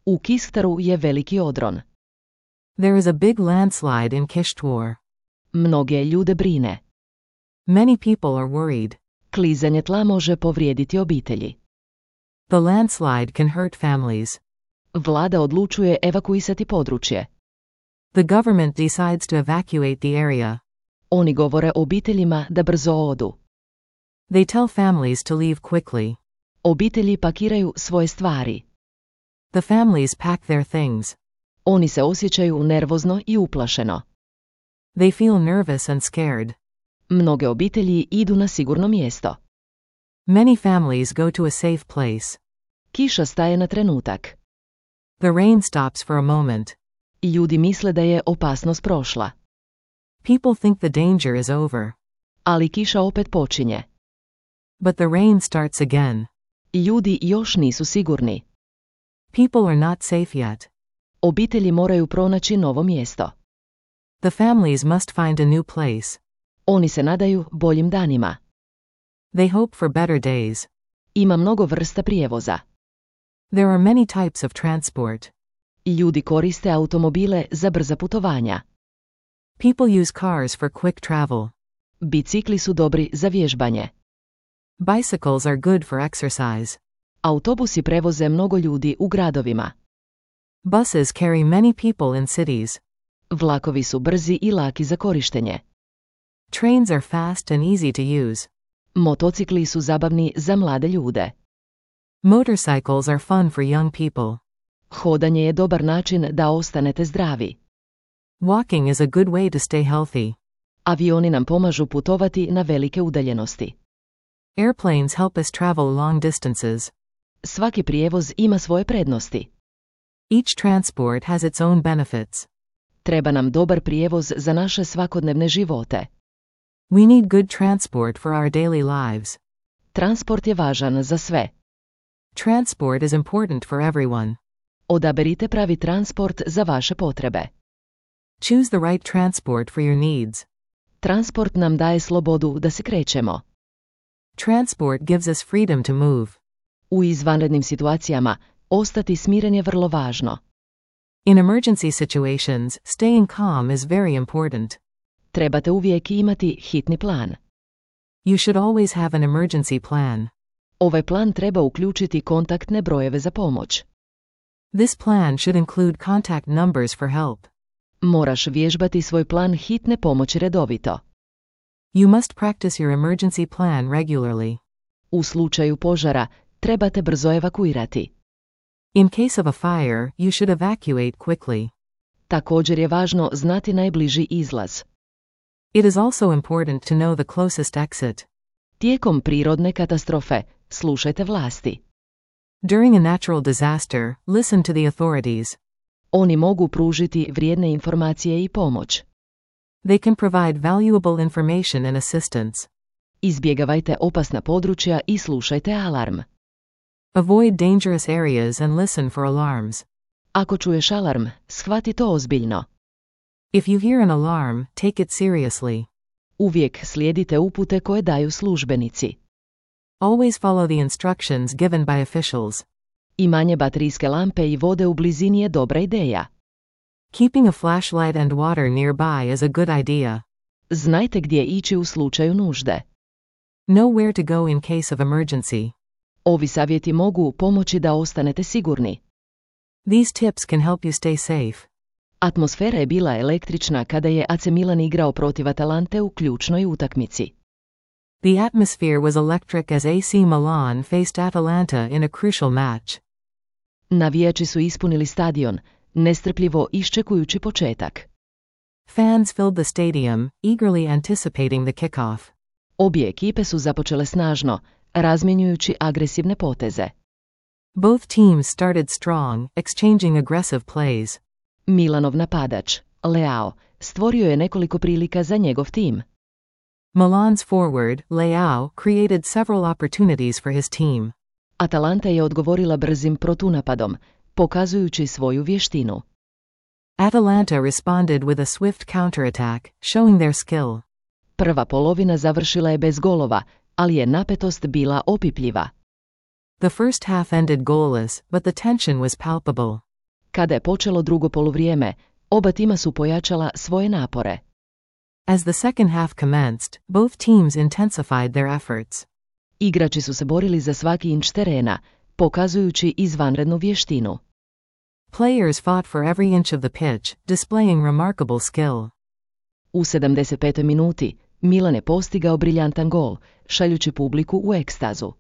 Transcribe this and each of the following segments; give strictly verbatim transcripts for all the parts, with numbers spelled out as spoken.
U Kishtaru je veliki odron. There is a big landslide in Kishtwar. Mnoge ljude brine. Many people are worried. Klizanje tla može povrijediti obitelji. The landslide can hurt families. Vlada odlučuje evakuisati područje. The government decides to evacuate the area. Oni govore obiteljima da brzo odu. They tell families to leave quickly. Obitelji pakiraju svoje stvari. The families pack their things. Oni se osjećaju nervozno i uplašeno. They feel nervous and scared. Mnoge obitelji idu na sigurno mjesto. Many families go to a safe place. Kiša staje na trenutak. The rain stops for a moment. Ljudi misle da je opasnost prošla. People think the danger is over. Ali kiša opet počinje. But the rain starts again. Ljudi još nisu sigurni. People are not safe yet. Obitelji moraju pronaći novo mjesto. The families must find a new place. Oni se nadaju boljim danima. They hope for better days. Ima mnogo vrsta prijevoza. There are many types of transport. Ljudi koriste automobile za brza putovanja. People use cars for quick travel. Bicikli su dobri za vježbanje. Bicycles are good for exercise. Autobusi prevoze mnogo ljudi u gradovima. Buses carry many people in cities. Vlakovi su brzi i laki za korištenje. Trains are fast and easy to use. Motocikli su zabavni za mlade ljude. Motorcycles are fun for young people. Hodanje je dobar način da ostanete zdravi. Walking is a good way to stay healthy. Avioni nam pomažu putovati na velike udaljenosti. Airplanes help us travel long distances. Svaki prijevoz ima svoje prednosti. Each transport has its own benefits. Treba nam dobar prijevoz za naše svakodnevne živote. We need good transport for our daily lives. Transport je važan za sve. Transport is important for everyone. Odaberite pravi transport za vaše potrebe. Choose the right transport for your needs. Transport nam daje slobodu da se krećemo. Transport gives us freedom to move. U izvanrednim situacijama, ostati smiren je vrlo važno. In emergency situations, staying calm is very important. Trebate uvijek imati hitni plan. You should always have an emergency plan. Ovaj plan treba uključiti kontaktne brojeve za pomoć. This plan should include contact numbers for help. Moraš vježbati svoj plan hitne pomoći redovito. You must practice your emergency plan regularly. U slučaju požara, trebate brzo evakuirati. In case of a fire, you should evacuate quickly. Također je važno znati najbliži izlaz. It is also important to know the closest exit. Tijekom prirodne katastrofe, slušajte vlasti. During a natural disaster, listen to the authorities. Oni mogu pružiti vrijedne informacije i pomoć. They can provide valuable information and assistance. Izbjegavajte opasna područja i slušajte alarm. Avoid dangerous areas and listen for alarms. Ako čuješ alarm, shvati to ozbiljno. If you hear an alarm, take it seriously. Uvijek slijedite upute koje daju službenici. Always follow the instructions given by officials. Imanje baterijske lampe i vode u blizini je dobra ideja. Keeping a flashlight and water nearby is a good idea. Znajte gdje ići u slučaju nužde. Know where to go in case of emergency. Ovi savjeti mogu pomoći da ostanete sigurni. These tips can help you stay safe. Atmosfera je bila električna kada je A C Milan igrao protiv Atalante u ključnoj utakmici. The atmosphere was electric as A C Milan faced Atalanta in a crucial match. Navijači su ispunili stadion, nestrpljivo iščekujući početak. Fans filled the stadium, eagerly anticipating the kickoff. Obje ekipe su započele snažno, razmjenjujući agresivne poteze. Both teams started strong, exchanging aggressive plays. Milanov napadač, Leao, stvorio je nekoliko prilika za njegov tim. Milan's forward, Leao, created several opportunities for his team. Atalanta je odgovorila brzim protunapadom, pokazujući svoju vještinu. Atalanta responded with a swift counterattack, showing their skill. Prva polovina završila je bez golova, ali je napetost bila opipljiva. The first half ended goalless, but the tension was palpable. Kada je počelo drugo poluvrijeme, oba tima su pojačala svoje napore. As the second half commenced, both teams intensified their efforts. Igrači su se borili za svaki inč terena, pokazujući izvanrednu vještinu. Players fought for every inch of the pitch, displaying remarkable skill. U sedamdeset petoj minuti, Milan je postigao briljantan gol, šaljući publiku u ekstazu.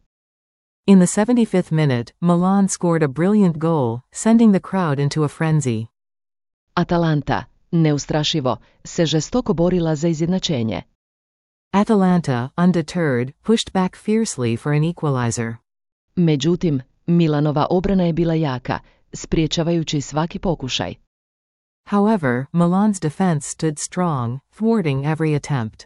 In the seventy-fifth minute, Milan scored a brilliant goal, sending the crowd into a frenzy. Atalanta, neustrašivo, se žestoko borila za izjednačenje. Atalanta, undeterred, pushed back fiercely for an equalizer. Međutim, Milanova obrana je bila jaka, spriječavajući svaki pokušaj. However, Milan's defense stood strong, thwarting every attempt.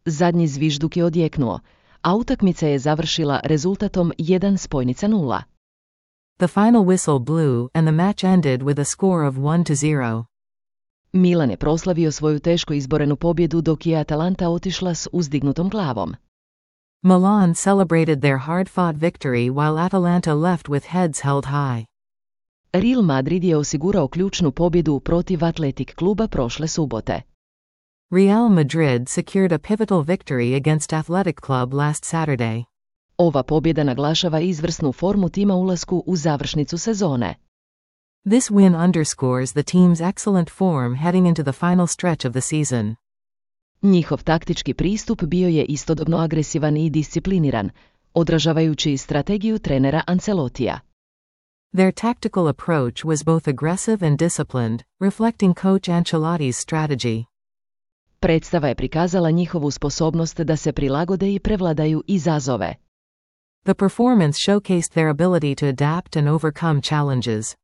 Zadnji zvižduk je odjeknuo, a utakmica je završila rezultatom jedan spojnica nula. The final whistle blew and the match ended with a score of one to zero. Milan je proslavio svoju teško izborenu pobjedu dok je Atalanta otišla s uzdignutom glavom. Milan celebrated their hard-fought victory while Atalanta left with heads held high. Real Madrid je osigurao ključnu pobjedu protiv Athletic kluba prošle subote. Real Madrid secured a pivotal victory against Athletic Club last Saturday. Ova pobjeda naglašava izvrsnu formu tima ulasku u završnicu sezone. This win underscores the team's excellent form heading into the final stretch of the season. Njihov taktički pristup bio je istodobno agresivan i discipliniran, odražavajući strategiju trenera Ancelotija. Their tactical approach was both aggressive and disciplined, reflecting coach Ancelotti's strategy. Predstava je prikazala njihovu sposobnost da se prilagode i prevladaju izazove. The performance showcased their ability to adapt and overcome challenges.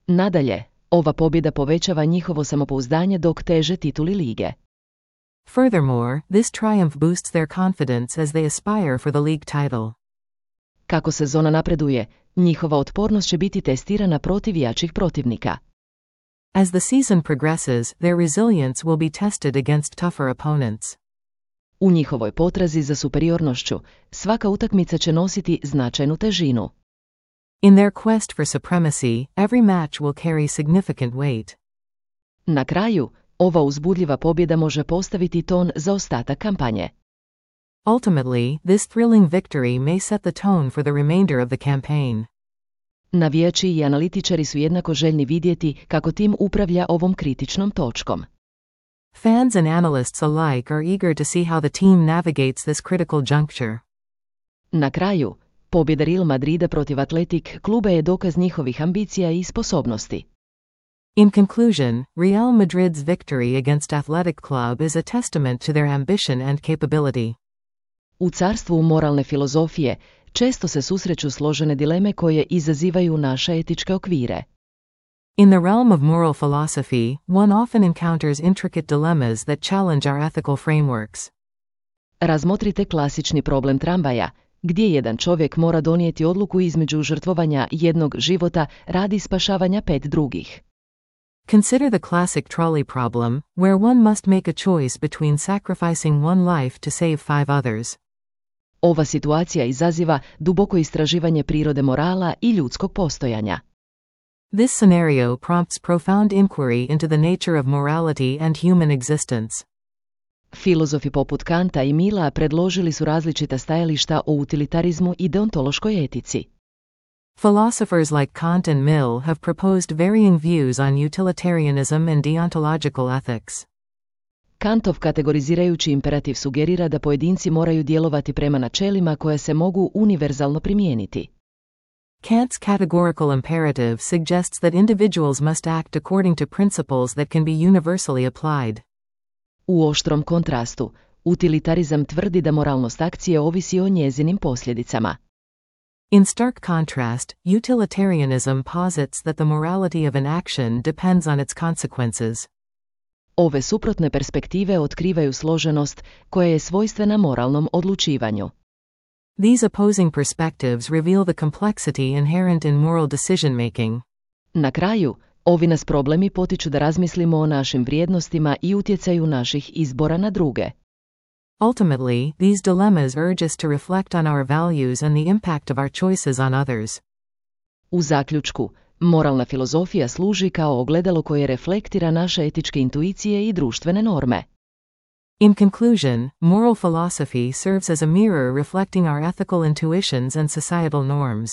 Nadalje, ova pobjeda povećava njihovo samopouzdanje dok teže tituli lige. Furthermore, this triumph boosts their confidence as they aspire for the league title. Kako sezona napreduje, njihova otpornost će biti testirana protiv jačih protivnika. As the season progresses, their resilience will be tested against tougher opponents. U njihovoj potrazi za superiornošću, svaka utakmica će nositi značajnu težinu. In their quest for supremacy, every match will carry significant weight. Na kraju, ova uzbudljiva pobjeda može postaviti ton za ostatak kampanje. Ultimately, this thrilling victory may set the tone for the remainder of the campaign. Navijači i analitičari su jednako željni vidjeti kako tim upravlja ovom kritičnom točkom. Fans and analysts alike are eager to see how the team navigates this critical juncture. Na kraju, pobjeda Real Madrida protiv Athletic kluba je dokaz njihovih ambicija i sposobnosti. In conclusion, Real Madrid's victory against Athletic Club is a testament to their ambition and capability. U carstvu moralne filozofije često se susreću složene dileme koje izazivaju naše etičke okvire. In the realm of moral philosophy, one often encounters intricate dilemmas that challenge our ethical frameworks. Razmotrite klasični problem tramvaja, gdje jedan čovjek mora donijeti odluku između žrtvovanja jednog života radi spašavanja pet drugih. Consider the classic trolley problem, where one must make a choice between sacrificing one life to save five others. Ova situacija izaziva duboko istraživanje prirode morala i ljudskog postojanja. This scenario prompts profound inquiry into the nature of morality and human existence. Filozofi poput Kanta i Milla predložili su različita stajališta o utilitarizmu i deontološkoj etici. Philosophers like Kant and Mill have proposed varying views on utilitarianism and deontological ethics. Kantov kategorizirajući imperativ sugerira da pojedinci moraju djelovati prema načelima koja se mogu univerzalno primijeniti. Kant's categorical imperative suggests that individuals must act according to principles that can be universally applied. U oštrom kontrastu, utilitarizam tvrdi da moralnost akcije ovisi o njezinim posljedicama. In stark contrast, utilitarianism posits that the morality of an action depends on its consequences. Ove suprotne perspektive otkrivaju složenost koja je svojstvena moralnom odlučivanju. These opposing perspectives reveal the complexity inherent in moral decision-making. Na kraju, ovi nas problemi potiču da razmislimo o našim vrijednostima i utjecaju naših izbora na druge. Ultimately, these dilemmas urge us to reflect on our values and the impact of our choices on others. U zaključku, Moralna filozofija služi kao ogledalo koje reflektira naše etičke intuicije i društvene norme. In conclusion, moral philosophy serves as a mirror reflecting our ethical intuitions and societal norms.